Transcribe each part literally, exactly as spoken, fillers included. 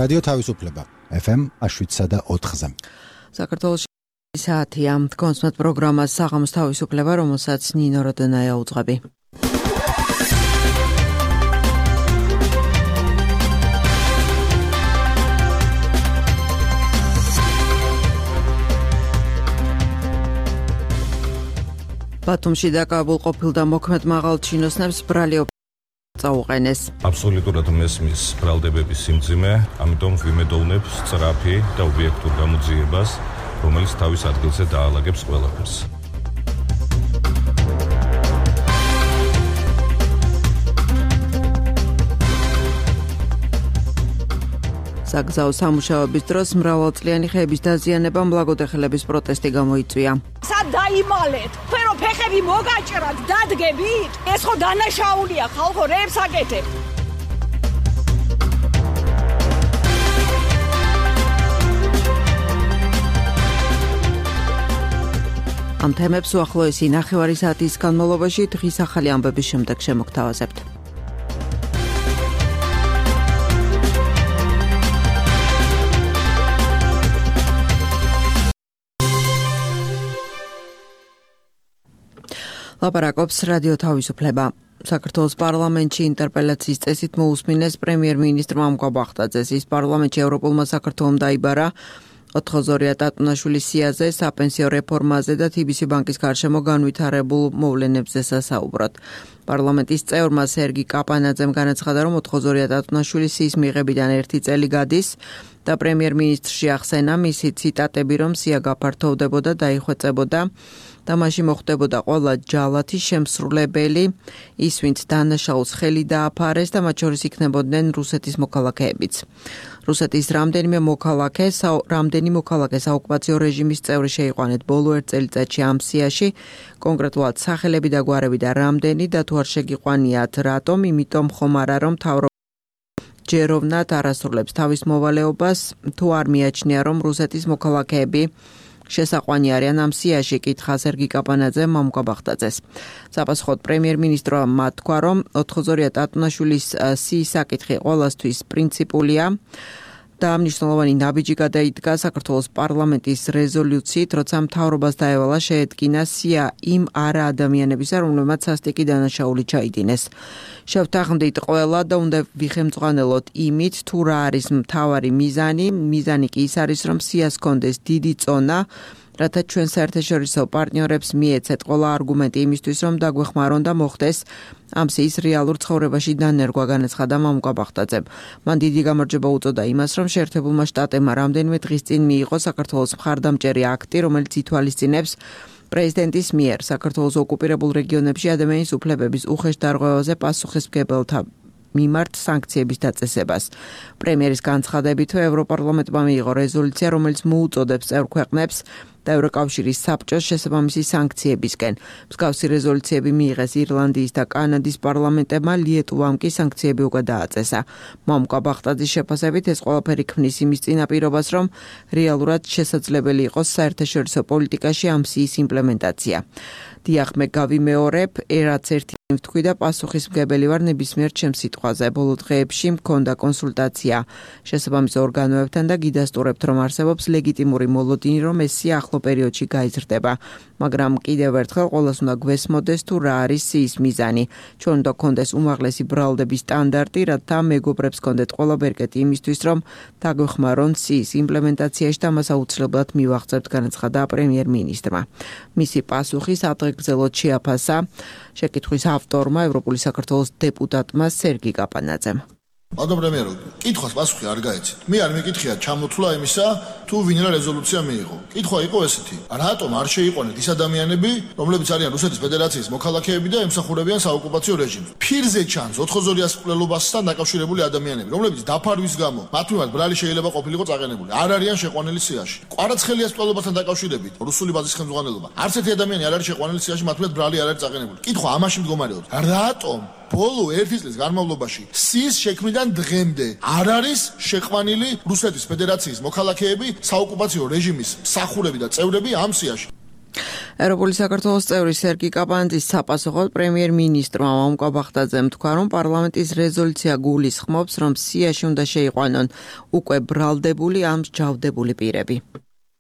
რადიო თავისუფლება ეფ ემ შვიდსა და ოთხზე. საქართველოში საათია კონსმეთ პროგრამას საღამოს თავისუფლება, რომელსაც ნინო როდონაია უძღვები. ბათუმში დაკავებულყოფილ და მოქმედ მაღალ ჩინოსნებს ბრალი წაუყენეს. აბსოლუტურად მესმის ბრალდებების სიმძიმე, ამიტომ ვიმედოვნებ სწრაფი და ობიექტურ გამოძიებას, რომელიც თავის ადგილზე დაალაგებს ყველაფერს. საგზაო სამუშაოების დროს მრავალწლიანი ხეების დაზიანებამ ლაგოდეხელების პროტესტი გამოიწვია. სად დაიმალეთ? ფერო ფეხები მოგაჭრათ, დადგებით? ეს ხო დანაშაულია, ხალხო რებს აკეთებ. ამ თემებს უახლოესი ნახევარი საათის განმავლობაში დღის ახალი ამბების შემდეგ შემოგთავაზებთ. ლაპარაკობს რადიო თავისუფლება. საქართველოს პარლამენტში ინტერპელაციის წესით მოусმინეს პრემიერ-მინისტრმა მკვაბახტაძეს. ის პარლამენტში ევროპულმა საქართველომ დაიბარა. ოთხოზორია ტატუნაშვილის სიაზე, საპენსიო რეფორმაზე და თი ბი სი ბანკის გარშემო განვითარებულ მოვლენებზე სასაუბრად. პარლამენტის წევრმა სერგი კაპანაძემ განაცხადა, რომ ოთხოზორია ტატუნაშვილის სიის მიღებიდან ერთი წელი გადის და პრემიერ-მინისტრში ახსენა მისი ციტატები, რომ სია გაფართოვდებოდა, დაიხვეწებოდა და მაშინ მოხდებოდა ყველა ჯალათის შემსრულებელი, ის ვინც დანაშაულს ხელი დააფარეს და მათ შორის იქნებოდნენ რუსეთის მოქალაქეებიც. რუსეთის რამდენიმე მოქალაქე, რამდენი მოქალაქე საოკუპაციო რეჟიმის წევრი შეიყვანეთ ბოლო ერთ წელიწადში ამ სიაში, კონკრეტულად სახელები და გვარები და რამდენი და თუ არ შეგიყვანიათ რატომ, იმიტომ ხომ არა რომ მთავრობა ჯეროვნად არასრულებს თავის მოვალეობას, თუ არ მიაჩნია რომ რუსეთის მოქალაქეები შესაყვანი არიან ამ სიაში, კითხა სერგი კაპანაძემ მამუკაბახტაძეს. საპასუხოდ პრემიერ-მინისტრმა თქვა, რომ ოთხოზორია ტატუნაშვილის სიის საკითხი ყველასთვის პრინციპულია და მნიშვნელოვანი ნაბიჯი გადაიდგა საქართველოს პარლამენტის რეზოლუციით, როცა მთავრობას დაევალა შეედგინა სია იმ არა ადამიანებისა, რომლებმაც სასტიკი დანაშაული ჩაიდინეს. შევთანხმდით ყველა და უნდა ვიხემწყვალოთ იმით, თუ რა არის მთავარი მიზანი. მიზანი კი ის არის, რომ სიას კონდეს დიდი წონა, რათა ჩვენ საერთაშორისო პარტნიორებს მიეცეთ ყველა არგუმენტი იმისთვის, რომ დაგვეხმარონ და მოხდეს ამ სიის რეალურ ცხოვრებაში დანერგვა, განაცხადა მამუკაბახტაძემ. მან დიდი გამარჯვება უწოდა იმას, რომ შეერთებულმა შტატებმა რამდენიმე დღის წინ მიიღო საქართველოს მხარდამჭერი აქტი, რომელიც ითვალისწინებს პრეზიდენტის მიერ საქართველოს ოკუპირებულ რეგიონებში ადამიანის უფლებების უხეშ დარღვევაზე პასუხისმგებელთა მიმართ სანქციების დაწესებას. პრემიერის განცხადებით, ევროპარლამენტმა მიიღო რეზოლუცია, რომელიც მოუწოდებს წევრ ქვეყნებს და ევროკავშირის საბჭოს შესაბამისი სანქციებისკენ. მსგავსი რეზოლუციები მიიღეს ირლანდიის და კანადის პარლამენტებმა, ლიეტუვამ კი სანქციები უკვე დააწესა. მამუკაბახტაძის შეფასებით ეს ყველაფერი ქმნის იმის წინაპირობას, რომ რეალურად შესაძლებელი იყოს საერთაშორისო პოლიტიკაში ამ სიის იმპლემენტაცია. დიახ, მე გავიმეორებ, რაც ერთი ვთქვი და პასუხისმგებელი ვარ ნებისმიერ ჩემს სიტყვაზე. ბოლო დღეებში მქონდა კონსულტაცია შესაბამის ორგანოებთან და გიდასტურებთ, რომ არსებობს ლეგიტიმური მოლოდინი, რომ ეს სია ახლო პერიოდში გაიზრდება. მაგრამ კიდევ ერთხელ ყველას უნდა გვესმოდეს, თუ რა არის სიის მიზანი. ჩვენ უნდა გქონდეს უმაღლესი ბრალდების სტანდარტი, რათა მეგობრებს გქონდეთ ყველა ბერკეტი იმისთვის, რომ დაგვეხმარონ სიის იმპლემენტაციაში და მას აუცილებლად მივაღწევთ, განაცხადა პრემიერ-მინისტრმა. მისი პასუხი სადღეგრძელოდ შეაფასა შეკითხვის ავტორმა, ევროპული საქართველოს დეპუტატმა სერგი კაპანაძემ. Madam Premier, კითხვას პასუხი არ გაეცით. მე არ მეკითხია ჩამოთვლა იმისა, თუ ვინ რა რეზოლუცია მიიღო. კითხვა იყო ესეთი: რატომ არ შეიყვანეთ ის ადამიანები, რომლებიც არიან რუსეთის ფედერაციის მოქალაქეები და ემსახურებიან საოკუპაციო რეჟიმს? ფირზე ჩანს ოთხოზორიას მკვლელობასთან დაკავშირებული ადამიანები, რომლებიც დაფარვის გამო მათ მიმართ ბრალი შეიძლება ყოფილიყო წაყენებული. არ არიან შეყვანილი სიაში. კვარაცხელიას მკვლელობასთან დაკავშირებით რუსული ბაზის ხელმძღვანელობა. არც ერთი ადამიანი არ არის შეყვანილი სიაში, მათ მიმართ ბრალი არ არის წაყენებული. კითხვა ამაში მდგომარეობს. რატომ ბოლო ერთი წლის განმავლობაში სიის შექმნიდან დღემდე არ არის შეყვანილი რუსეთის ფედერაციის მოქალაქეები, საოკუპაციო რეჟიმის მსახურები და წევრები ამ სიაში? ევროპული საქართველოს წევრი სერგი კაპანძის საპასუხოდ პრემიერ-მინისტრმა მამუკა ბახტაძემ თქვა, რომ პარლამენტის რეზოლუცია გულისხმობს, რომ სიაში უნდა შეიყვანონ უკვე ბრალდებული ამ მსჯავრდებული პირები.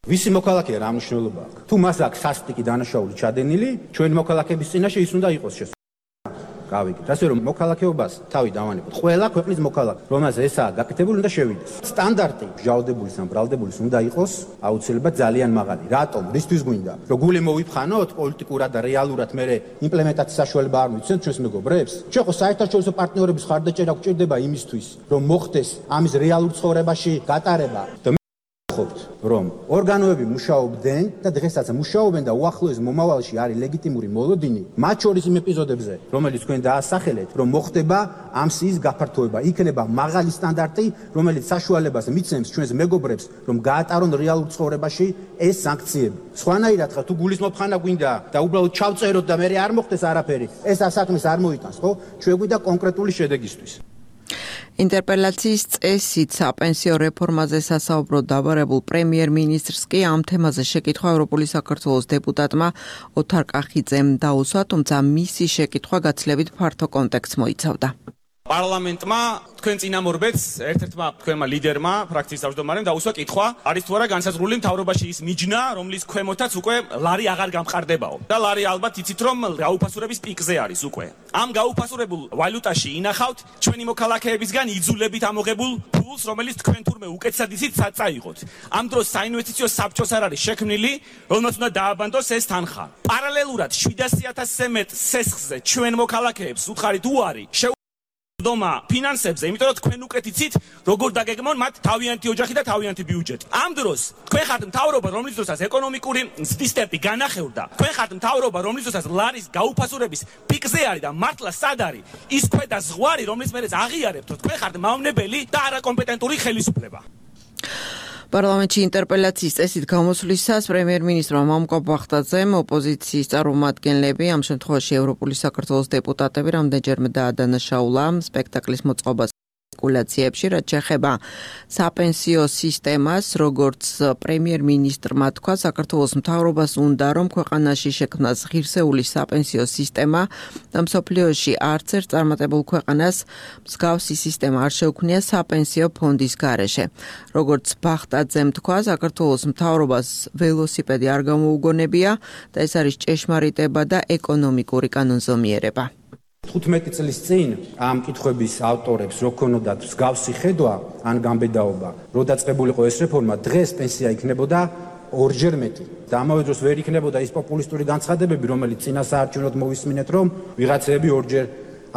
ვისი მოქალაქეა რა მნიშვნელობა აქვს? თუ მას აქვს სასტიკი დანაშაული ჩადენილი, ჩვენი მოქალაქეების წინაშე ის უნდა იყოს შესაძლებელი. გავიგეთ. ასე რომ მოქალაქეობას თავი დავანებოთ. ყველა ქვეყნის მოქალაქე, რომელსაც ესაა გაკეთებული, უნდა შევიდეს. სტანდარტი მსჯავრდებულის ან ბრალდებულის უნდა იყოს აუცილებლად ძალიან მაღალი. რატომ? რისთვის გვინდა? რომ გული მოვიფხანოთ პოლიტიკურად და რეალურად მე იმპლემენტაციის საშუალება არ მიცემთ ჩვენს მეგობრებს? ჩვენ ხო საერთაშორისო პარტნიორების ხარდაჭერა გვჭირდება იმისთვის, რომ მოხდეს ამის რეალურ ცხოვრებაში გატარება. რომ ორგანოები მუშაობდნენ და დღესაც მუშაობენ და უახლოეს მომავალში არის ლეგიტიმური მოლოდინი, მათ შორის იმ ეპიზოდებზე, რომელიც თქვენ დაასახელეთ, რომ მოხდება ამ სიის გაფართოება, იქნება მაღალი სტანდარტი, რომელიც საშუალებას მიცემს ჩვენს მეგობრებს, რომ გაატარონ რეალურ ცხოვრებაში ეს სანქციები. სხვანაირად ხარ, თუ გულის მოფხანა გვინდა და უბრალოდ ჩავწეროთ და მე არ მოხდეს არაფერი, ეს ასაკმის არ მოიტანს, ხო? ჩვენ გვინდა კონკრეტული შედეგისთვის. ინტერპელაციის წესით საპენსიო რეფორმაზე სასაუბროდ დაბარებულ პრემიერ-მინისტრს კი ამ თემაზე შეკითხვა ევროპული საქართველოს დეპუტატმა ოთარ კახიძემ დაუსვა, თუმცა მისი შეკითხვა გაცილებით ფართო კონტექსტს მოიცავდა. პარლამენტმა თქვენ წინამორბედს ერთ-ერთმა თქვენმა ლიდერმა ფრაქციის თავმჯდომარემ დაუსვა კითხვა, არის თუ არა განსაზღვრული მთავრობაში ის მიჯნა, რომლის ქვემოთაც უკვე ლარი აღარ გამყარდებაო. და ლარი ალბათ იცით, რომ გაუფასურების პიკზე არის უკვე. ამ გაუფასურებულ ვალუტაში ინახავთ ჩვენი მოქალაქეებისგან იძულებით ამოღებულ ფულს, რომელიც თქვენ თურმე უკეთესად იცით წაიღოთ. ამ დროს საინვესტიციო საბჭოს არ არის შექმნილი, რომელსაც უნდა დააბანდოს ეს თანხა. პარალელურად შვიდასი ათასზე მეტ სესხზე ჩვენ მოქალაქეებს უთხარით უარი დომა ფინანსებზე, იმიტომ რომ თქვენ უკეთ იცით, როგორ დაგეგმონ მათ თავიანთი ოჯახი და თავიანთი ბიუჯეტი. ამ დროს თქვენ ხართ მთავრობა, რომლის დროსაც ეკონომიკური მზდის ტემპი განახევრდა. თქვენ ხართ მთავრობა, რომლის დროსაც ლარის გაუფასურების პიკზე არის და მართლა სად არის ის ქვედა ზღვარი, რომლის მერეც აღიარებთ, რომ თქვენ ხართ მავნებელი და არაკომპეტენტური ხელისუფლება. პარლამენტში ინტერპელაციის წესით გამოსვლისას პრემიერ-მინისტრმა მამუკა ბახტაძემ ოპოზიციის წარმომადგენლები, ამ შემთხვევაში ევროპული საქართველოს დეპუტატები, რამდენჯერმე დაადანაშაულა სპექტაკლის მოწყობას სპეკულაციებში, რაც შეეხება საპენსიო სისტემას, როგორც პრემიერ-მინისტრმა თქვა, საქართველოს მთავრობას უნდა, რომ ქვეყანაში შექმნას ღირსეული საპენსიო სისტემა და მსოფლიოში არც ერთ წარმატებულ ქვეყანას მსგავსი სისტემა არ შეუქმნია საპენსიო ფონდის გარეშე. როგორც ბახტაძემ თქვა, საქართველოს მთავრობას ველოსიპედი არ გამოუგონებია და ეს არის ჭეშმარიტება და ეკონომიკური კანონზომიერება. თხუთმეტი წლის წინ ამ კითხვების ავტორებს რო ქონოდათ მსგავსი ხედვა ან გამბედაობა, რო დაწყებულიყო ეს რეფორმა, დღეს პენსია იქნებოდა ორჯერ მეტი. და ამავე დროს ვერ იქნებოდა ის პოპულისტური განცხადებები, რომელიც წინასაარჩევნოდ მოვისმინეთ, რომ ვიღაცები ორჯერ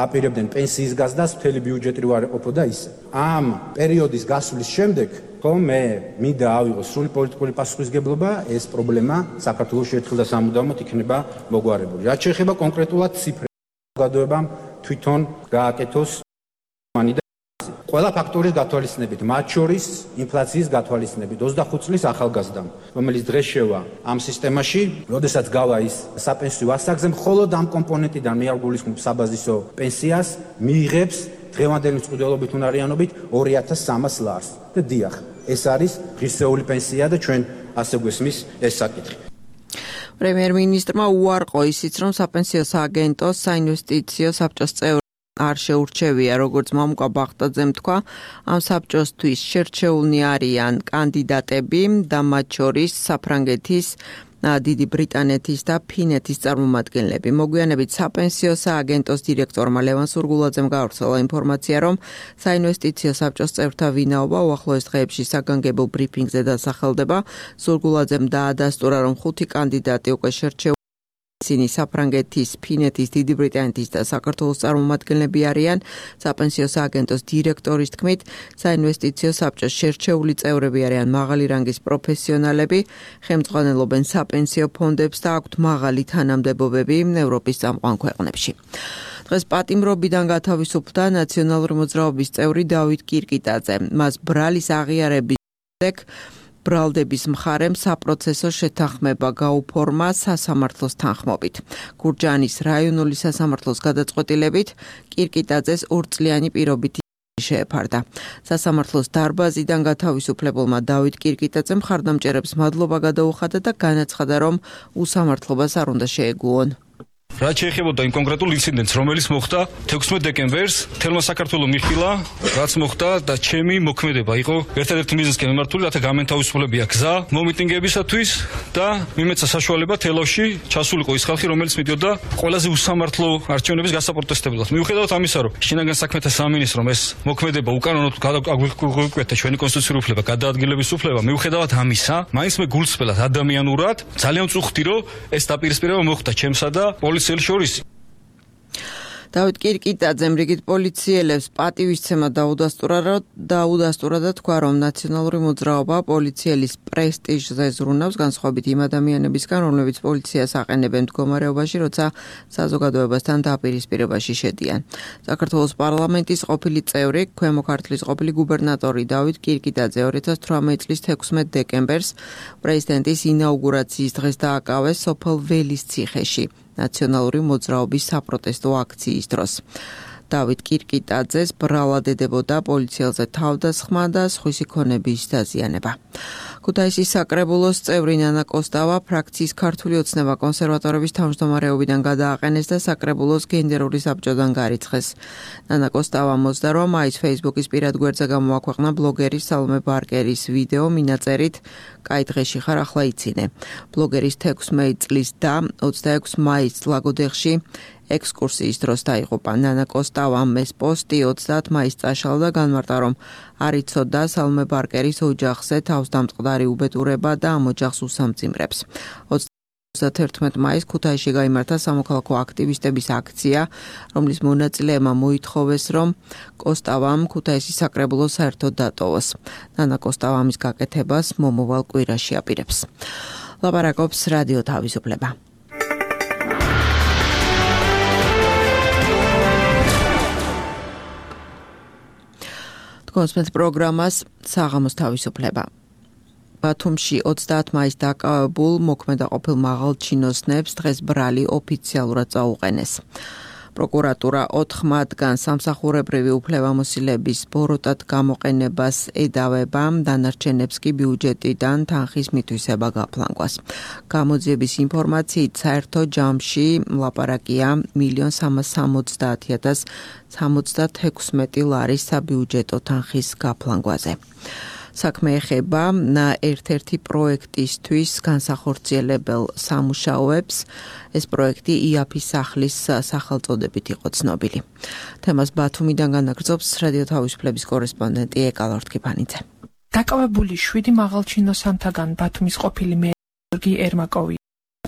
აპირებდნენ პენსიის გაზრდას, მთელი ბიუჯეტი რო არ ეყოფოდა ისე. ამ პერიოდის გასვლის შემდეგ, ხო, მე მინდა ავიღო სრული პოლიტიკური პასუხისგებლობა, ეს პრობლემა საქართველოში ერთხელ და სამუდამოდ იქნება მოგვარებული. რაც შეეხება კონკრეტულად ციფრებს, გადოებამ თვითონ გააკეთოს მანიდა ყველა ფაქტორის გათვალისწინებით, მათ შორის ინფლაციის გათვალისწინებით ოცდახუთ წლის ახალგაზრდამ, რომელიც დღეს შევა ამ სისტემაში, როდესაც გავა ის საპენსიო ასაკზე, მხოლოდ ამ კომპონენტიდან მე არ გულისხმობ საბაზისო პენსიას, მიიღებს დღევანდელი მწყვიდველობით უნარიანობით ორი ათას სამას ლარს. და დიახ, ეს არის ღირსეული პენსია და ჩვენ ასე გვესმის ეს საკითხი. პრემიერ-მინისტრმა უარყო ისიც, რომ საპენსიო სააგენტოს საინვესტიციო საბჭოს წევრი არ შეურჩევია, როგორც მამუკა ბახტაძემ თქვა, ამ საბჭოსთვის შერჩეულნი არიან კანდიდატები და მათ შორის საფრანგეთის, დიდი ბრიტანეთის და ფინეთის წარმომადგენლები. მოგვიანებით საპენსიო სააგენტოს დირექტორმა ლევან სურგულაძემ გავრცელა ინფორმაცია, რომ საინვესტიციო საბჭოს წევრთა ვინაობა უახლოეს დღეებში საგანგებო ბრიფინგზე დასახელდება. სურგულაძემ დაადასტურა, რომ ხუთი კანდიდატი უკვე შერჩეულ ისინი საფრანგეთის, ფინეთის, დიდი ბრიტანეთის და საქართველოს წარმომადგენლები არიან. საპენსიო სააგენტოს დირექტორის თქმით, საინვესტიციო საბჭოს შერჩეული წევრები არიან მაღალი რანგის პროფესიონალები, ხელმძღვანელობენ საპენსიო ფონდებს და აქვთ მაღალი თანამდებობები ევროპის წამყვან ქვეყნებში. დღეს პატიმრობიდან გათავისუფლდა ნაციონალური მოძრაობის წევრი დავით კირკიტაძე. მას ბრალის აღიარების შემდეგ ბრალდების მხარემ საპროცესო შეთანხმება გაუფორმა სასამართლოს თანხმობით. გურჯაანის რაიონული სასამართლოს გადაწყვეტილებით კირკიტაძეს ორწლიანი პირობითი შეეფარდა. სასამართლოს დარბაზიდან გათავისუფლებულმა დავით კირკიტაძემ მხარდამჭერებს მადლობა გადაუხადა და განაცხადა, რომ უსამართლობას არ უნდა შეეგუონ. რაც შეეხებოდა იმ კონკრეტულ ინციდენტს, რომელიც მოხდა თექვსმეტ დეკემბერს, თელმა საქართველოს მიხილა, რაც მოხდა და ჩემი მოქმედება იყო ერთადერთი მიზნისკენ მიმართული, რათა გამენთავისუფლებია გზა მომიტინგებისათვის და მიმეცა საშუალება თელავში ჩასულიყო ის ხალხი, რომელიც მიდიოდა ყველაზე უსამართლო არჩევნების გასაპროტესტებლად. მიუხედავად ამისა, რომ შინაგან საქმეთა სამინისტრომ ეს მოქმედება უკანონოდ გაგვიკვეთა ჩვენი კონსტიტუციური უფლება, გადაადგილების უფლება, მიუხედავად ამისა, მაინც მე გულწრფელად ადამიანურად ძალიან წუხდი, რომ ეს დაპირისპირება მოხდა ჩემსა და შორის. დავით კირკიტაძემ რიგით პოლიციელებს პატივისცემა დაუდასტურა დაუდასტურა და თქვა, რომ ნაციონალური მოძრაობა პოლიციელის პრესტიჟზე ზრუნავს, განსხვავებით იმ ადამიანებისგან, რომლებიც პოლიციას აყენებენ მდგომარეობაში, როცა საზოგადოებასთან დაპირისპირებაში შედიან. საქართველოს პარლამენტის ყოფილი წევრი, ქვემო ქართლის ყოფილი გუბერნატორი დავით კირკიტაძე ორი ათას თვრამეტი წლის თექვსმეტ დეკემბერს პრეზიდენტის ინაუგურაციის დღეს დააკავეს სოფელ ველის ციხეში. ნაციონალური მოძრაობის საპროტესტო აქციის დროს. დავით კირკიტაძეს ბრალად ედებოდა პოლიციელზე თავდასხმა და სხვისი ქონების დაზიანება. ქუთაისის საკრებულოს წევრი ნანა კოსტავა ფრაქციის ქართული ოცნება კონსერვატორების თავმჯდომარეობიდან გადააყენეს და საკრებულოს გენერალური საბჭოდან გარიცხეს. ნანა კოსტავა მოძდა, რომ მაის Facebook-ის პირად გვერდზე გამოაქვეყნა ბლოგერი სალომე ბარკერის ვიდეო მინაწერით კაი დღეში ხარ, ახლა იცინე. ბლოგერის თექვსმეტი წლის და ოცდაექვსი მაისს ლაგოდეხში ექსკურსიის დროს დაიღუპა. ნანა კოსტავამ ეს პოსტი ოცდაათი მაისს წაშალა და განმარტა, რომ არ იცოდა სალომე ბარკერის ოჯახზე თავსდამწყდარი უბედურება და ამ ოჯახს უსამძიმრებს. ოცდათერთმეტი მაისს ქუთაისში გაიმართა სამოქალაქო აქტივისტების აქცია, რომლის მონაწილეებმა მოითხოვეს, რომ კოსტავამ ქუთაისის საკრებულოს საერთოდ დატოვოს. ნანა კოსტავა ამის გაკეთებას მომავალ კვირაში აპირებს. ლაპარაკობს რადიო თავისუფლება. კონსმეთ პროგრამას საღამოს თავისუფლება. ბათუმში ოცდაათი მაისს დაკავებულ მოქმედა ყოფილ მაღალჩინოსნებს დღეს ბრალი ოფიციალურად წაუყენეს. პროკურატურა ოთხ მათგან სამსახურებრივი უფლებამოსილების ბოროტად გამოყენებას ედავება, დანარჩენებს კი ბიუჯეტიდან თანხის მითვისება გაფლანგვას. გამოძიების ინფორმაციით საერთო ჯამში ლაპარაკია მილიონ სამას სამოცდაათი ათას სამოცდათექვსმეტი ლარის საბიუჯეტო თანხის გაფლანგვაზე. საქმე ეხება ერთ-ერთი პროექტისთვის განსახორციელებელ სამუშაოებს. ეს პროექტი იაფის სახლის სახელწოდებით იყო ცნობილი. თემას ბათუმიდან განაგრძობს რადიო თავისუფლების კორესპონდენტი ეკა ლორთქიფანიძე. დაკავებული შვიდი მაღალჩინოსანთაგან ბათუმის ყოფილი მერი გიორგი ერმაკოვი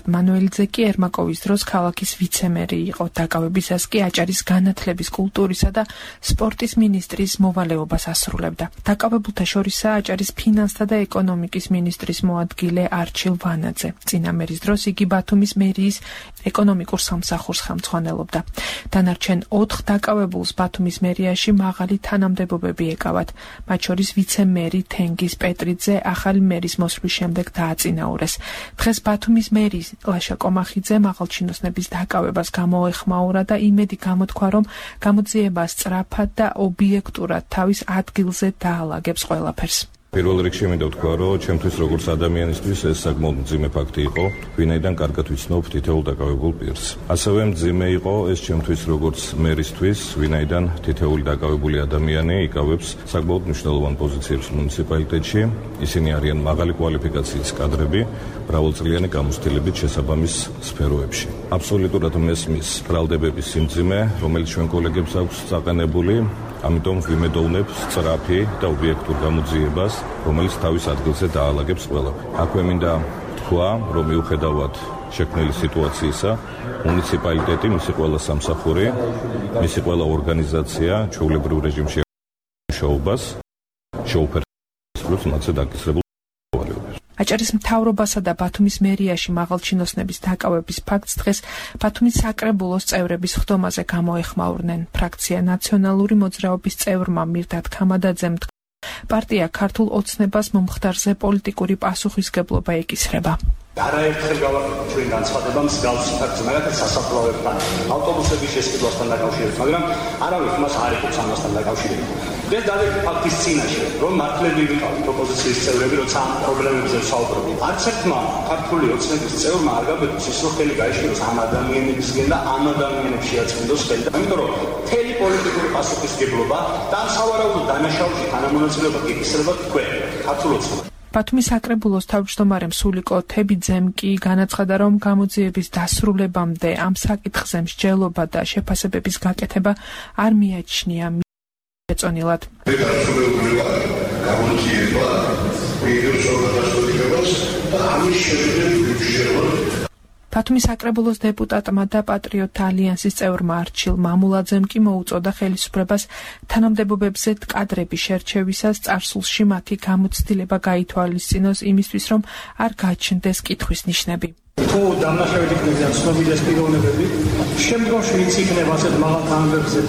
მანუელიძე კი ერმაკოვის დროს ქალაქის ვიცემერი იყო. დაკავებისას კი აჭარის განათლების, კულტურისა და სპორტის მინისტრის მოვალეობას ასრულებდა. დაკავებულთა შორისაა აჭარის ფინანსთა და ეკონომიკის მინისტრის მოადგილე არჩილ ვანაძე. წინა მერის დროს იგი ბათუმის მერიის ეკონომიკურ სამსახურს ხელმძღვანელობდა. დანარჩენ ოთხ დაკავებულს ბათუმის მერიაში მაღალი თანამდებობები ეკავათ. მათ შორის ვიცემერი თენგიზ პეტრიძე ახალი მერის მოსვლის შემდეგ დააწინაურეს. დღეს ბათუმის მერის ლაშა კომახიძე მაღალჩინოსნების დაკავებას გამოეხმაურა და იმედი გამოთქვა, რომ გამოძიება სწრაფად და ობიექტურად თავის ადგილზე დაალაგებს ყველაფერს. პირველ რიგში მინდა ვთქვა, რომ ჩემთვის როგორც ადამიანისთვის ეს საკმაოდ მძიმე ფაქტი იყო, ვინაიდან კარგად ვიცნობ თითოეულ დაკავებულ პირს. ასევე მძიმე იყო ეს ჩემთვის როგორც მერისთვის, ვინაიდან თითოეული დაკავებული ადამიანი იკავებს საკმაოდ მნიშვნელოვან პოზიციებს მუნიციპალიტეტში. ისინი არიან მაღალი კვალიფიკაციის კადრები, მრავალწლიანი გამოცდილებით შესაბამის სფეროებში. აბსოლუტურად მესმის ბრალდებების სიმძიმე, რომელიც ჩვენ კოლეგებს აქვს წაყენებული. ამიტომ ვიმედოვნებ სწრაფი და ობიექტურ გამოძიებას, რომელიც თავის ადგილზე დაალაგებს ყველაფერს. აქვე მინდა თქვა, რომ მიუხედავად შექმნილი სიტუაციისა, მუნიციპალიტეტი, მისი ყველა სამსახური, მისი ყველა ორგანიზაცია ჩვეულებრივ რეჟიმში მუშაობას შეუფერხებს მათზე დაკისრებულ მოვალეობას. აჭარის მთავრობასა და ბათუმის მერიაში მაღალჩინოსნების დაკავების ფაქტს დღეს ბათუმის საკრებულოს წევრების ხდომაზე გამოეხმაურნენ. ფრაქცია ნაციონალური მოძრაობის წევრმა მირდატ ქამადაძემ პარტია ქართულ ოცნებას მომხდარზე პოლიტიკური პასუხისგებლობა ეკისრება. არაერთხელ გავაკეთეთ ჩვენ განცხადება მსგავსი ფაქტზე, მაგალითად სასაფლაოებთან, ავტობუსების შესყიდვასთან დაკავშირებით, მაგრამ არავის მას არ ეკუთვნის ამასთან დაკავშირებით. ეს დადებითი ფაქტის წინაშე, რომ მართლები ვიყავით ოპოზიციის წევრები, როცა ამ პრობლემებზე ვსაუბრობთ. არც ერთმა ქართული ოცნების წევრმა არ გაბედოს ის, რომ ხელი გაიშლოს ამ ადამიანებისგან და ამ ადამიანებს შეაწმინდოს ხელი. ამიტომ რომ მთელი პოლიტიკური პასუხისმგებლობა და სავარაუდო დანაშაულში თანამონაწილეობა გეკისრება თქვენ, ქართულ ოცნებად. ბათუმის საკრებულოს თავმჯდომარე მსულიკო თებიძემ კი განაცხადა, რომ გამოძიების დასრულებამდე ამ საკითხზე მსჯელობა და შეფასებების გაკეთება არ მიაჩნია ეწონილად. ბათუმის საკრებულოს დეპუტატმა და პატრიოტთა ალიანსის წევრმა არჩილ მამულაძემ კი მოუწოდა ხელისუფლებას თანამდებობებზე კადრების შერჩევისას წარსულში მათი გამოცდილება გაითვალისწინოს იმისთვის, რომ არ გაჩნდეს კითხვის ნიშნები. თუ დამნაშავედ იქნებიან ცნობილეს პიროვნებები, შემდგომში ვინც იქნება ასეთ მაღალ თანამდებობებზე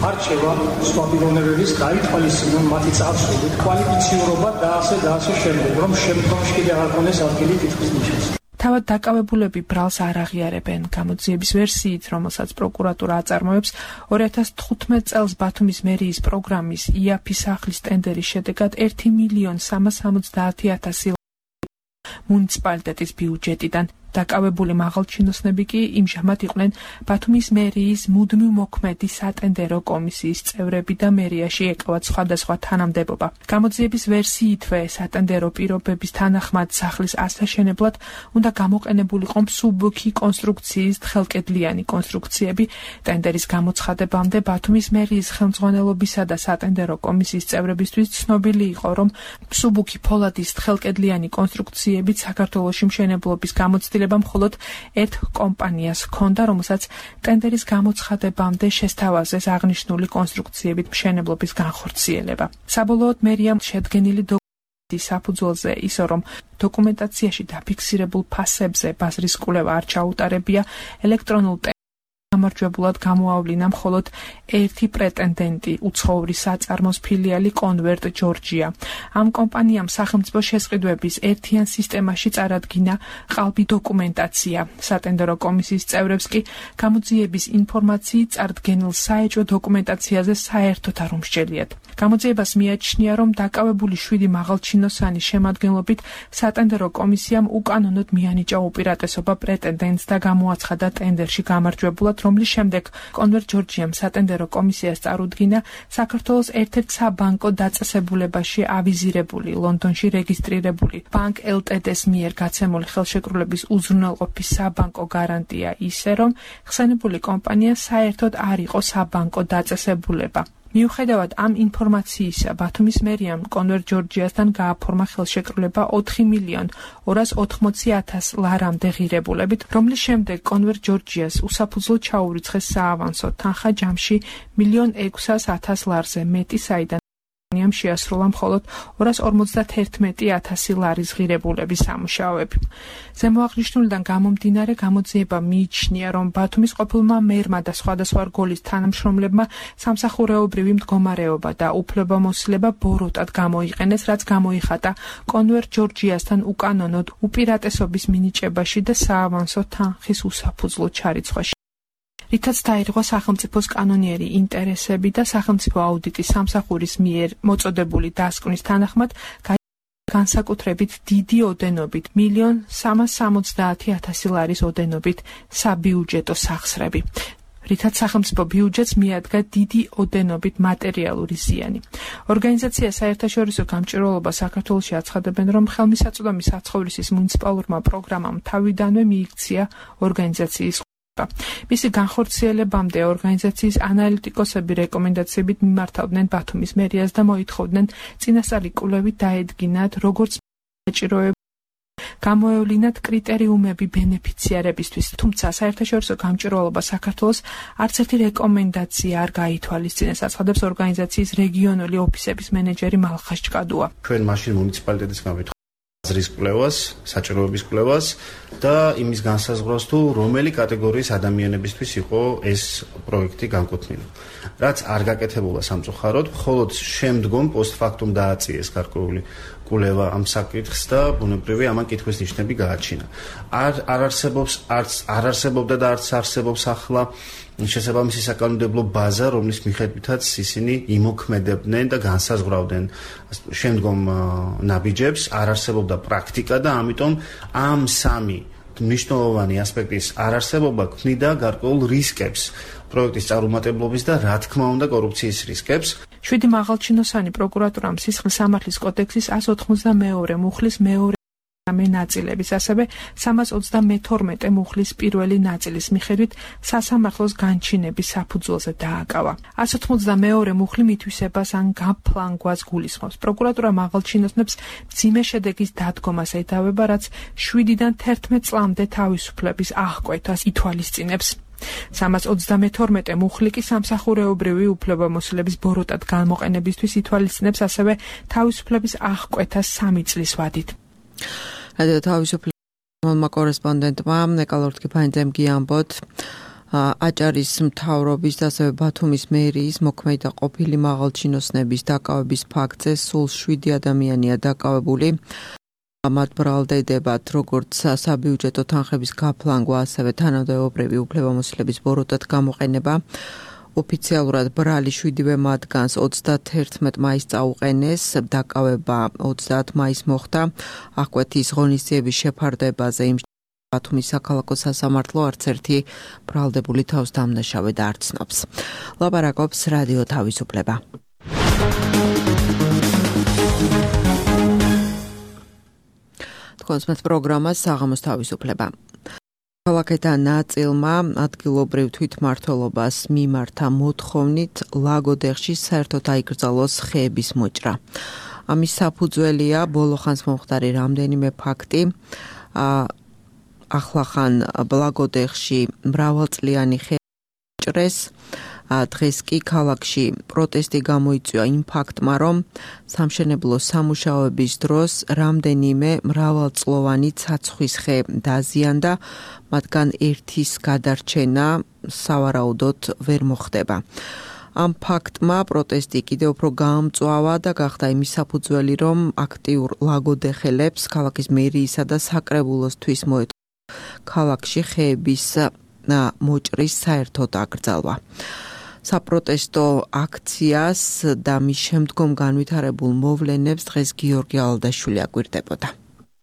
არჩევა, სხვა პიროვნებების გაითვალისწინონ მათი წარსული, კვალიფიციურობა და ასე და ასე შემდეგ, რომ შემდგომში კიდე არ ქონდეს ადგილი კითხვის ნიშნებს. თავად დაკავებულები ბრალს არ აღიარებენ. გამოძიების ვერსიით, რომელსაც პროკურატურა აწარმოებს, ორი ათას თხუთმეტ წელს ბათუმის მერიის პროგრამის იაფი სახლის ტენდერის შედეგად ერთი მილიონი სამას ორმოცდაათი ათასი მუნიციპალიტეტის ბიუჯეტიდან. დაკავებული მაღალჩინოსნები კი იმჟამად იყვნენ ბათუმის მერიის მუდმივ მოქმედი სატენდერო კომისიის წევრები და მერიაში ეკავათ სხვადასხვა თანამდებობა. გამოძიების ვერსიითვე სატენდერო პირობების თანახმად სახლის ასაშენებლად უნდა გამოყენებულიყო მსუბუქი კონსტრუქციის თხელკედლიანი კონსტრუქციები. ტენდერის გამოცხადებამდე ბათუმის მერიის ხელმძღვანელობისა და სატენდერო კომისიის წევრებისთვის ცნობილი იყო, რომ მსუბუქი ფოლადის თხელკედლიანი კონსტრუქციებით საქართველოში მშენებლობის გამოცდილება მხოლოდ ერთ კომპანიას ჰქონდა, რომელსაც ტენდერის გამოცხადებამდე შესთავაზეს აღნიშნული კონსტრუქციებით მშენებლობის განხორციელება. საბოლოოდ მერიამ შედგენილი დოკუმენტის საფუძველზე ისო, რომ დოკუმენტაციაში დაფიქსირებულ ფასებზე ბაზრის კვლევა არ ჩაუტარებია, ელექტრონულ გამარჯვებულად გამოავლინა მხოლოდ ერთი პრეტენდენტი, უცხოური საწარმოს ფილიალი კონვერტ ჯორჯია. ამ კომპანიამ სახელმწიფო შესყიდვების ერთიან სისტემაში წარადგინა ყალბი დოკუმენტაცია. სატენდერო კომისიის წევრებს კი გამოძიების ინფორმაციით წარდგენილ საეჭვო დოკუმენტაციაზე საერთოდ არ უმსჯელიათ. გამოძიებას მიაჩნია, რომ დაკავებული შვიდი მაღალჩინოსანის შემადგენლობით სატენდერო კომისიამ უკანონოდ მიანიჭა უპირატესობა პრეტენდენტს და გამოაცხადა ტენდერში გამარჯვებულად, რომლის შემდეგ კონვერტ ჯორჯიამ სატენდერო კომისიას წარუდგინა საქართველოს ერთ-ერთ საბანკო დაწესებულებაში ავიზირებული, ლონდონში რეგისტრირებული ბანკ ელტდ-ს მიერ გაცემული ხელშეკრულების უზრუნველყოფის საბანკო გარანტია ისე, რომ ხსენებული კომპანია საერთოდ არ იყო საბანკო დაწესებულება. მიუხედავად ამ ინფორმაციისა, ბათუმის მერიამ კონვერტ ჯორჯიასთან გააფორმა ხელშეკრულება ოთხი მილიონი ორას ოთხმოცი ათას ლარამდე ღირებულებით, რომლის შემდეგ კონვერტ ჯორჯიას უსაფუძვლოდ ჩაურიცხეს საავანსო თანხა ჯამში მილიონი ექვსას ათას ლარზე მეტი, საიდან შეასრულა მხოლოდ ორას ორმოცდაათერთმეტი ათასი ლარის ღირებულების სამუშაოები. ზემოაღნიშნულიდან გამომდინარე, გამოძიება მიიჩნია, რომ ბათუმის ყოფილმა მერმა და სხვადასხვა რგოლის თანამშრომლებმა სამსახურეობრივი მდგომარეობა და უფლებამოსილება ბოროტად გამოიყენეს, რაც გამოიხატა კონვერტ ჯორჯიასთან უკანონოდ უპირატესობის მინიჭებაში და საავანსო თანხის უსაფუძვლოდ ჩარიცხვაში. რითაც დაირღვა სახელმწიფოს კანონიერი ინტერესები და სახელმწიფო აუდიტის სამსახურის მიერ მოწოდებული დასკვნის თანახმად განსაკუთრებით დიდი ოდენობით მილიონი სამას სამოცდაათი ათასი ლარის ოდენობით საბიუჯეტო სახსრები. რითაც სახელმწიფო ბიუჯეტს მიადგა დიდი ოდენობით მატერიალური ზიანი. ორგანიზაცია საერთაშორისო გამჭირვალობა საქართველოში აცხადებენ, რომ ხელმისაწვდომი საცხოვრისის მუნიციპალურმა პროგრამამ თავიდანვე მიიქცია ორგანიზაციის მისი განხორციელებამდე ორგანიზაციის ანალიტიკოსები რეკომენდაციებით მიმართავდნენ ბათუმის მერიას და მოითხოვდნენ წინასწარი კვლევით დაედგინათ, როგორც საჭიროება გამოევლინათ კრიტერიუმები ბენეფიციარებისთვის, თუმცა საერთაშორისო გამჭირვალობა საქართველოს არც ერთი რეკომენდაცია არ გაითვალისწინეს, აცხადებს ორგანიზაციის რეგიონული ოფისების მენეჯერი მალხას ჭკადუა. ჩვენ მაშინ მუნიციპალიტეტისგან ვითხოვთ ბაზრის კვლევას, საჭიროების კვლევას და იმის განსაზღვრას, თუ რომელი კატეგორიის ადამიანებისთვის იყო ეს პროექტი განკუთვნილი. რაც არ გაკეთებულა სამწუხაროდ, მხოლოდ შემდგომ პოსტფაქტუმ დააწიეს გარკვეული კულევა ამ საკითხს და ბუნებრივია ამან კითხვის ნიშნები გააჩინა. არ არ არსებობს არც არ არსებობდა და არც არსებობს ახლა შესაბამისი საკანონმდებლო ბაზა, რომლის მიხედვითაც ისინი იმოქმედებდნენ და განსაზღვრავდნენ შემდგომ ნაბიჯებს, არ არსებობდა პრაქტიკა და ამიტომ ამ სამი მნიშვნელოვანი ასპექტის არარსებობა ქმნიდა გარკვეულ რისკებს პროექტის წარუმატებლობის და რა თქმა უნდა კორუფციის რისკებს. შვიდი მაღალჩინოსანი პროკურატურამ სისხლის სამართლის კოდექსის εκατს ოცდამეორე მუხლის მეორე მე ნაწილების, ასევე სამას ოცდამეთორმეტე მუხლის პირველი ნაწილის მიხედვით სასამართლოს განჩინების საფუძველზე დააკავა. εκατს ოცდამეორე მუხლი მითვისებას ან გაფლანგვას გულისხმობს. პროკურატურა მაღალჩინოსნებს მძიმე შედეგის დადგომას ედავება, რაც შვიდიდან თერთმეტ წლამდე თავისუფლების აღკვეთას ითვალისწინებს. სამას ოცდამეთორმეტე მუხლი კი სამსახურეობრივი უფლებამოსილების ბოროტად გამოყენებისთვის ითვალისწინებს ასევე თავისუფლების აღკვეთას სამი წლის ვადით. რადიო თავისუფლება კორესპონდენტმა ნიკოლოზ კიფანიძემ გიამბოთ აჭარის მთავრობის და ასევე ბათუმის მერიის მოქმედი და ყოფილი მაღალჩინოსნების დაკავების ფაქტზე სულ შვიდი ადამიანია დაკავებული. მათ ბრალდებათ როგორც საბიუჯეტო თანხების გაფლანგვა, ასევე თანადამობრივი უფლებამოსილების ბოროტად გამოყენება. ოფიციალურად ბრალი შვიდივე მათგანს ოცდათერთმეტ მაისს წაუყენეს, დაკავება ოცდაათ მაისს მოხდა. აღკვეთის ღონისძიების შეფარდებაზე იმ ბათუმის საქალაქო სასამართლო არც ერთი ბრალდებული თავს დამნაშავე და არ ცნობს. ლაპარაკობს რადიო თავისუფლება. თქვენს პროგრამას საღამოს თავისუფლება. ქალაქეთა ნაწილმა ადგილობრივ თვითმმართველობას მიმართა მოთხოვნით ლაგოდეხში საერთოდ აიკრძალოს ხეების მოჭრა. ამის საფუძველია ბოლო ხანს მომხდარი რამდენიმე ფაქტი. ახლახან ლაგოდეხში მრავალწლიანი ხეები მოჭრეს. დღეს კი ქალაქში პროტესტი გამოიწვია იმ ფაქტმა, რომ სამშენებლო სამუშაოების დროს რამდენიმე მრავალწლოვანი ცაცხვის ხე დაზიანდა, მათგან ერთის გადარჩენა სავარაუდოდ ვერ მოხდება. ამ ფაქტმა პროტესტი კიდევ უფრო გაამწვავა და გახდა იმის საფუძველი, რომ აქტიურ ლაგოდეხელებს ქალაქის მერიისა და საკრებულოსთვის მოეთხოვა ქალაქში ხეების მოჭრის საერთოდ აკრძალვა. საპროტესტო აქციას და მის შემდგომ განვითარებულ მოვლენებს დღეს გიორგი ალდაშვილი აკვირდებოდა.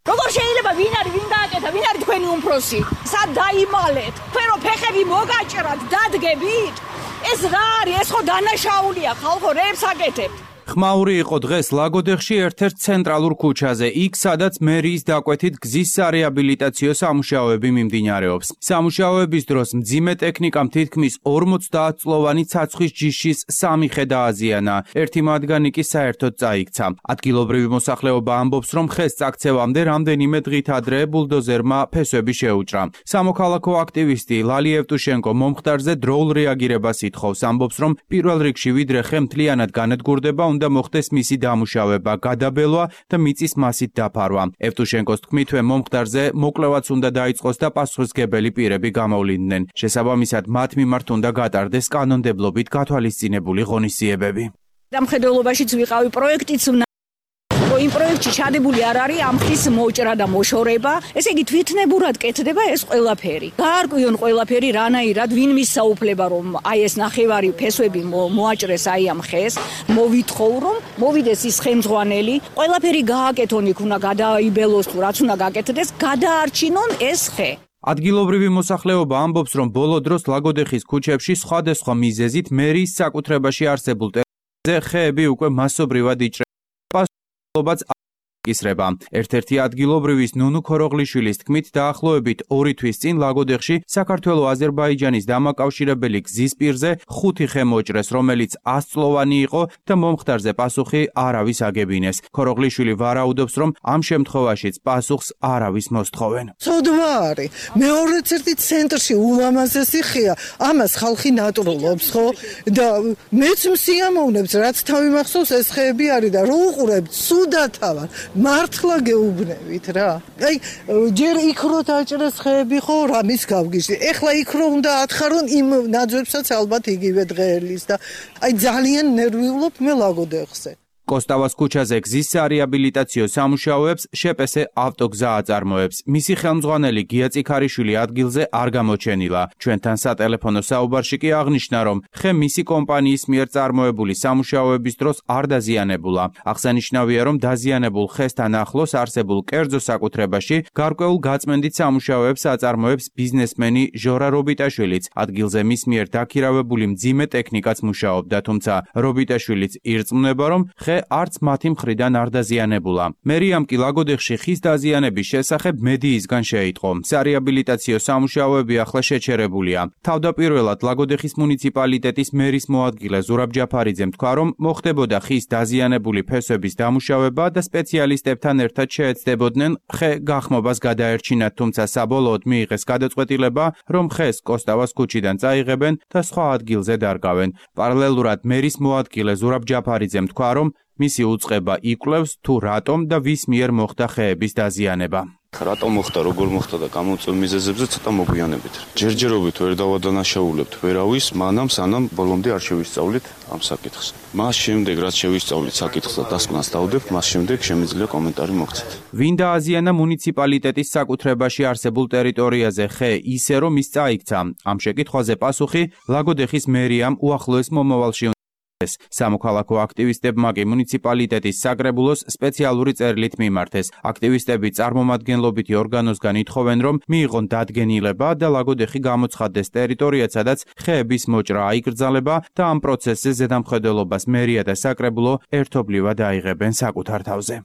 როგორ შეიძლება ვინ არის ვინ გააკეთა ვინ არის თქვენი უმფროსი? სად დაიმალეთ? თქვენ რო ფეხები მოგაჭრათ, დადგებით? ეს რა არის? ეს ხო დანაშაულია, ხალხო, რეებს აკეთებთ. ხმაური იყო დღეს ლაგოდეხში ერთ-ერთ ცენტრალურ ქუჩაზე, იქ სადაც მერიის დაკვეთით გზის სარეაბილიტაციო სამუშაოები მიმდინარეობს. სამუშაოების დროს მძიმე ტექნიკამ თითქმის ორმოცდაათ წლოვანი ცაცხვის ჯიშის სამი ხე დააზიანა, ერთი მათგანი კი საერთოდ წაიქცა. ადგილობრივი მოსახლეობა ამბობს, რომ ხეს წაქცევამდე რამდენიმე დღით ადრე ბულდოზერმა ფესვები შეუჭრა. სამოქალაქო აქტივისტი ლალი ევტუშენკო მომხდარზე დროულ რეაგირებას ითხოვს, ამბობს, რომ პირველ რიგში ვიდრე ხე მთლიანად განადგურდება, უნდა მოხდეს მისი დამუშავება, გადაბელვა და მიწის მასით დაფარვა. ევტუშენკოს თქმით, მომხდარზე მოკვლევაც უნდა დაიწყოს და პასუხისმგებელი პირები გამოვლინდნენ. შესაბამისად, მათ მიმართ უნდა გატარდეს კანონმდებლობით გათვალისწინებული ღონისძიებები. დამხედველობაშიც ვიყავი პროექტიც იმ პროექტში ჩადებული არ არის ამ ხის მოჭრა და მოშორება, ესე იგი თვითნებურად კეთდება ეს ყველაფერი. გაარკვიონ ყველაფერი რანაირად, ვინ მისაუფლება რომ აი ეს ნახევარი ფესვები მოაჭრეს აი ამ ხეს, მოვითხოვ რომ მოვიდეს ის ხემძღვანელი, ყველაფერი გააკეთონ იქ უნდა გადაიბელოს თუ რაც უნდა გაკეთდეს, გადაარჩინონ ეს ხე. ადგილობრივი მოსახლეობა ამბობს, რომ ბოლო დროს ლაგოდეხის ქუჩებში სხვადასხვა მიზეზით მერიის საკუთრებაში არსებულ ტერიტორიაზე ხეები უკვე მასობრივად იჭრება. ისრება. ერთ-ერთი ადგილობრივის ნუნუ ქოროღლიშვილის თქმით, დაახლოებით ორი თვის წინ ლაგოდეხში საქართველო-აზერბაიჯანის დამაკავშირებელი გზის პირზე ხუთი ხე მოჭრეს, რომელიც ას წლოვანი იყო და მომხდარზე პასუხი არავის აგებინეს. ქოროღლიშვილი ვარაუდობს, რომ ამ შემთხვევაშიც პასუხს არავის მოსთხოვენ. ცოდვა არის. მეორეც ერთი ცენტრში ულამაზესი ხეა. ამას ხალხი ნატრულობს, ხო? და მეც მსიამოვნებს, რაც თავი მახსოვს ეს ხეები არის და რო უყურებთ, სუდათავარ. მართლა გეუბნებით რა. აი ჯერ იქ რო დაჭრეს ხეები ხო რამის გავგიჟდი. ეხლა იქ რო უნდა ათხარონ იმ ნაძვებსაც ალბათ იგივე დღეელის და აი ძალიან ნერვიულობ მე ლაგოდეხზე. კოსტავას ქუჩაზე გზის სარეაბილიტაციო სამუშაოებს შეპესე ავტოგზა აწარმოებს. მისი ხელმძღვანელი გია წიქარიშვილი ადგილზე არ გამოჩენილა. ჩვენთან სატელეფონო საუბარში კი აღნიშნა, რომ ხე მისი კომპანიის მიერ წარმოებული სამუშაოების დროს არ დაზიანებულა. აღსანიშნავია, რომ დაზიანებულ ხესთან ახლოს არსებულ კერძო საკუთრებაში გარკვეულ გაწმენდით სამუშაოებს აწარმოებს ბიზნესმენი ჟორა რობიტაშვილიც. ადგილზე მის მიერ დაქირავებული მძიმე ტექნიკაც მუშაობდა, თუმცა რობიტაშვილიც ირწმუნება, რომ ხე არც მათი მხრიდან არ დაზიანებულა. მერიამ კი ლაგოდეხში ხის დაზიანების შესახებ მედიისგან შეიტყო. სარეაბილიტაციო სამუშაოები ახლა შეჩერებულია. თავდაპირველად ლაგოდეხის მუნიციპალიტეტის მერის მოადგილე ზურაბ ჯაფარიძემ თქვა, რომ მოხდებოდა ხის დაზიანებული ფესვების დამუშავება და სპეციალისტებთან ერთად შეეცდებოდნენ ხე გახმობას გადაერჩინათ, თუმცა საბოლოოდ მიიღეს გადაწყვეტილება, რომ ხეს კოსტავას ქუჩიდან წაიღებენ და სხვა ადგილზე დარგავენ. პარალელურად მერის მოადგილე ზურაბ ჯაფარიძემ თქვა, რომ მისი უწყება იკვლევს თუ რატომ და ვის მიერ მოხდა ხეების დაზიანება. რატომ მოხდა, როგორ მოხდა და გამოწვევ მიზეზებზე ცოტა მოგვიანებით. ჯერჯერობით ვერ დავადანაშაულებთ ვერავის, მანამ სანამ ბოლომდე არ შევისწავლით ამ საკითხს. მას შემდეგ რაც შევისწავლით საკითხს და დასკვნას დავდებთ, მას შემდეგ შემიძლია კომენტარი მოგცეთ. ვინ დააზიანა მუნიციპალიტეტის საკუთრებაში არსებულ ტერიტორიაზე ხე ისე რომ ის წაიქცა? ამ შეკითხვაზე პასუხი ლაგოდეხის მერიამ უახლოეს მომავალში სამოქალაქო აქტივისტებმა კი მუნიციპალიტეტის საკრებულოს სპეციალური წერილით მიმართეს. აქტივისტები წარმომადგენლობითი ორგანოსგან ითხოვენ, რომ მიიღონ დადგენილება და ლაგოდეხი გამოცხადდეს ტერიტორიად, სადაც ხეების მოჭრა აიკრძალება და ამ პროცესზე ზედამხედველობას მერია და საკრებულო ერთობლივად აიღებენ საკუთარ თავზე.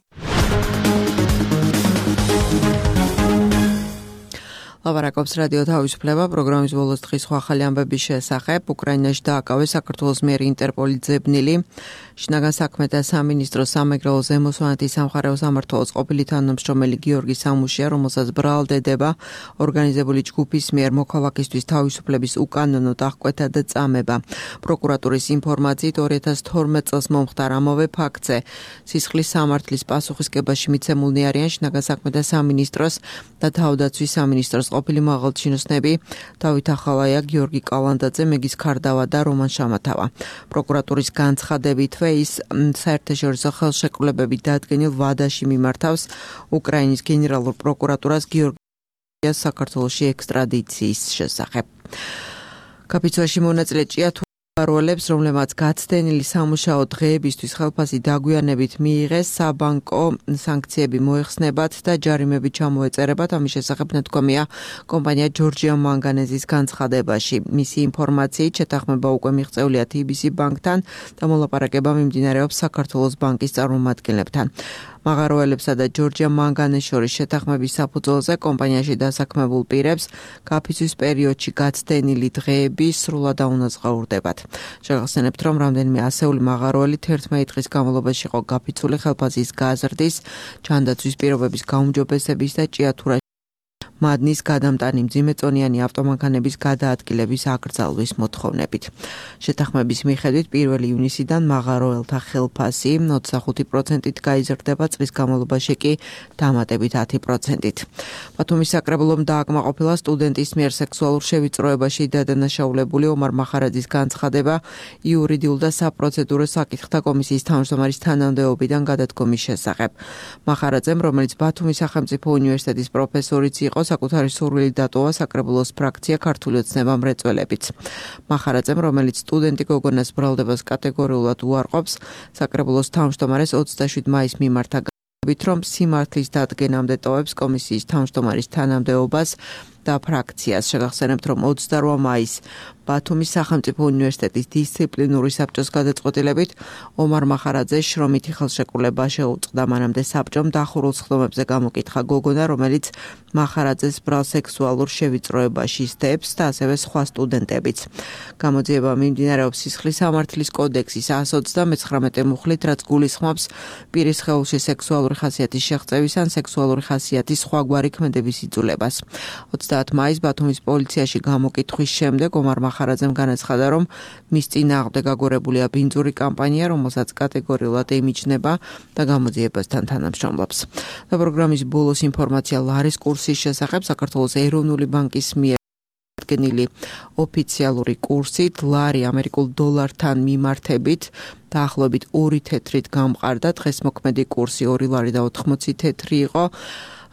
ლაპარაკობს რადიო თავისუფლება პროგრამის ბოლოს დღის სხვა ახალი ამბების შესახებ. უკრაინაში დააკავეს საქართველოს მიერ ინტერპოლის ძებნილი. შინაგან საქმეთა სამინისტროს სამეგრელო ზემოსვანეთის სამხარეო სამმართველოს ყოფილი თანამშრომელი გიორგი სამუშია, რომელსაც ბრალდება ორგანიზებული ჯგუფის მიერ მოქალაქისთვის თავისუფლების უკანონო დახკვეთა და წამება. პროკურატურის ინფორმაციით ორი ათას თორმეტ წელს მომხდარ ამავე ფაქტზე სისხლის სამართლის პასუხისგებაში მიცემულნი არიან შინაგან საქმეთა სამინისტროს და თავდაცვის სამინისტროს ყოფილი მაღალჩინოსნები დავით ახალაია, გიორგი კალანდაძე, მეგის ქარდავა და რომან შამათავა. პროკურატურის განცხადებითვე ის საერთაშორისო ხელშეკრულებებით დადგენილ ვადაში მიმართავს უკრაინის გენერალურ პროკურატურას გიორგიას საქართველოში ექსტრადიციის შესახებ. კაპიცოში მონაწილე ჭიათურა როლებს, რომლებმაც გაცდენილი სამუშაო დღეებისთვის ხელფასი დაგვიანებით მიიღეს, საბანკო სანქციები მოეხსნებათ და ჯარიმები ჩამოეწერებათ. ამის შესახებ ნათქვამია კომპანია ჯორჯია მანგანეზის განცხადებაში. მისი ინფორმაციით შეთანხმება უკვე მიღწეულია თი ბი სი ბანკთან და მოლაპარაკება მიმდინარეობს საქართველოს ბანკის წარმომადგენლებთან. მაღაროელებსა და ჯორჯია მანგანეს შორის შეთანხმების საფუძველზე კომპანიაში დასაქმებულ პირებს კაფისთვის პერიოდში გაცდენილი დღეები სრულად აუნაზღაურდებათ. შეგახსენებთ, რომ რამდენიმე ასეული მაღაროელი თერთმეტი დღის განმავლობაში იყო გაფიცული ხელფასის გაზრდის, ჯანდაცვის პირობების გაუმჯობესების და ჭიათურაში მადნის გადამტანი მძიმეწონიანი ავტომანქანების გადაადგილების აკრძალვის მოთხოვნებით. შეთანხმების მიხედვით პირველი ივნისიდან მაღაროელთა ხელფასი ოცდახუთი პროცენტით გაიზრდება, წლის განმავლობაში კი დამატებით ათი პროცენტით. ბათუმის საკრებულომ დააკმაყოფილა სტუდენტის მიერ სექსუალურ შევიწროებაში დადანაშაულებული ომარ მახარაძის განცხადება იურიდიულ და საპროცედურო საკითხთა კომისიის თავმჯდომარის თანამდებობიდან გადადგომის შესახებ. მახარაძემ, რომელიც ბათუმის სახელმწიფო უნივერსიტეტის პროფესორიც იყო, საკუთარი სურვილი დატოვა საკრებულოს ფრაქცია ქართული ოცნება მრეწველებიც. მახარაძემ, რომელიც სტუდენტი გოგონას ბრალდებას კატეგორიულად უარყოფს, საკრებულოს თავმჯდომარეს ოცდაშვიდი მაისს მიმართა განცხადებით, რომ სიმართლის დადგენამდე ტოვებს კომისიის თავმჯდომარის თანამდებობას და ფრაქციას. შეგახსენებთ, რომ ოცდაორ მაისს ბათუმის სახელმწიფო უნივერსიტეტის დისციპლინური საბჭოს გადაწყვეტილებით ომარ მახარაძეს შრომითი ხელშეკრულება შეუწყდა. მანამდე საბჭომ დახურულ სხდომებზე გამოკითხა გოგონა, რომელიც მახარაძეს ბრალ სექსუალურ შევიწროებაში სდებს და ასევე სხვა სტუდენტებიც. გამოძიება მიმდინარეობს სისხლის სამართლის კოდექსის εκατს ოცდამეცხრამეტე მუხლით, რაც გულისხმობს პირის სხეულში სექსუალური ხასიათის შეღწევის ან სექსუალური ხასიათის სხვაგვარი ქმედების იძულებას. ოცდაათი მაისს ბათუმის პოლიციაში გამოკითხვის შემდეგ ომარ მახარაძემ განაცხადა, რომ მის წინააღმდეგ აგორებულია ბინძური კამპანია, რომელსაც კატეგორიულად ემიჯნება და გამოძიებასთან თანამშრომლობს. და პროგრამის ბოლოს ინფორმაცია ლარის კურსის შესახებ. საქართველოს ეროვნული ბანკის მიერ წარდგენილი ოფიციალური კურსით ლარი ამერიკულ დოლართან მიმართებით დაახლოებით ორი თეთრით გამყარდა. დღეს მოქმედი კურსი ორი ლარი და ოთხმოცი თეთრი იყო.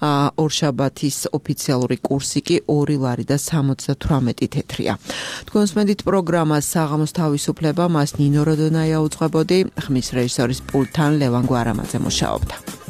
ორშაბათის ოფიციალური კურსი კი ორი ლარი და სამოცდათვრამეტი თეთრია. თქვენს მედით პროგრამას საღამოს თავისუფლება მას ნინო როდონაია უძღვებოდი, ხმის რეჟისორის პულტთან ლევან გვარამაძე მუშაობდა.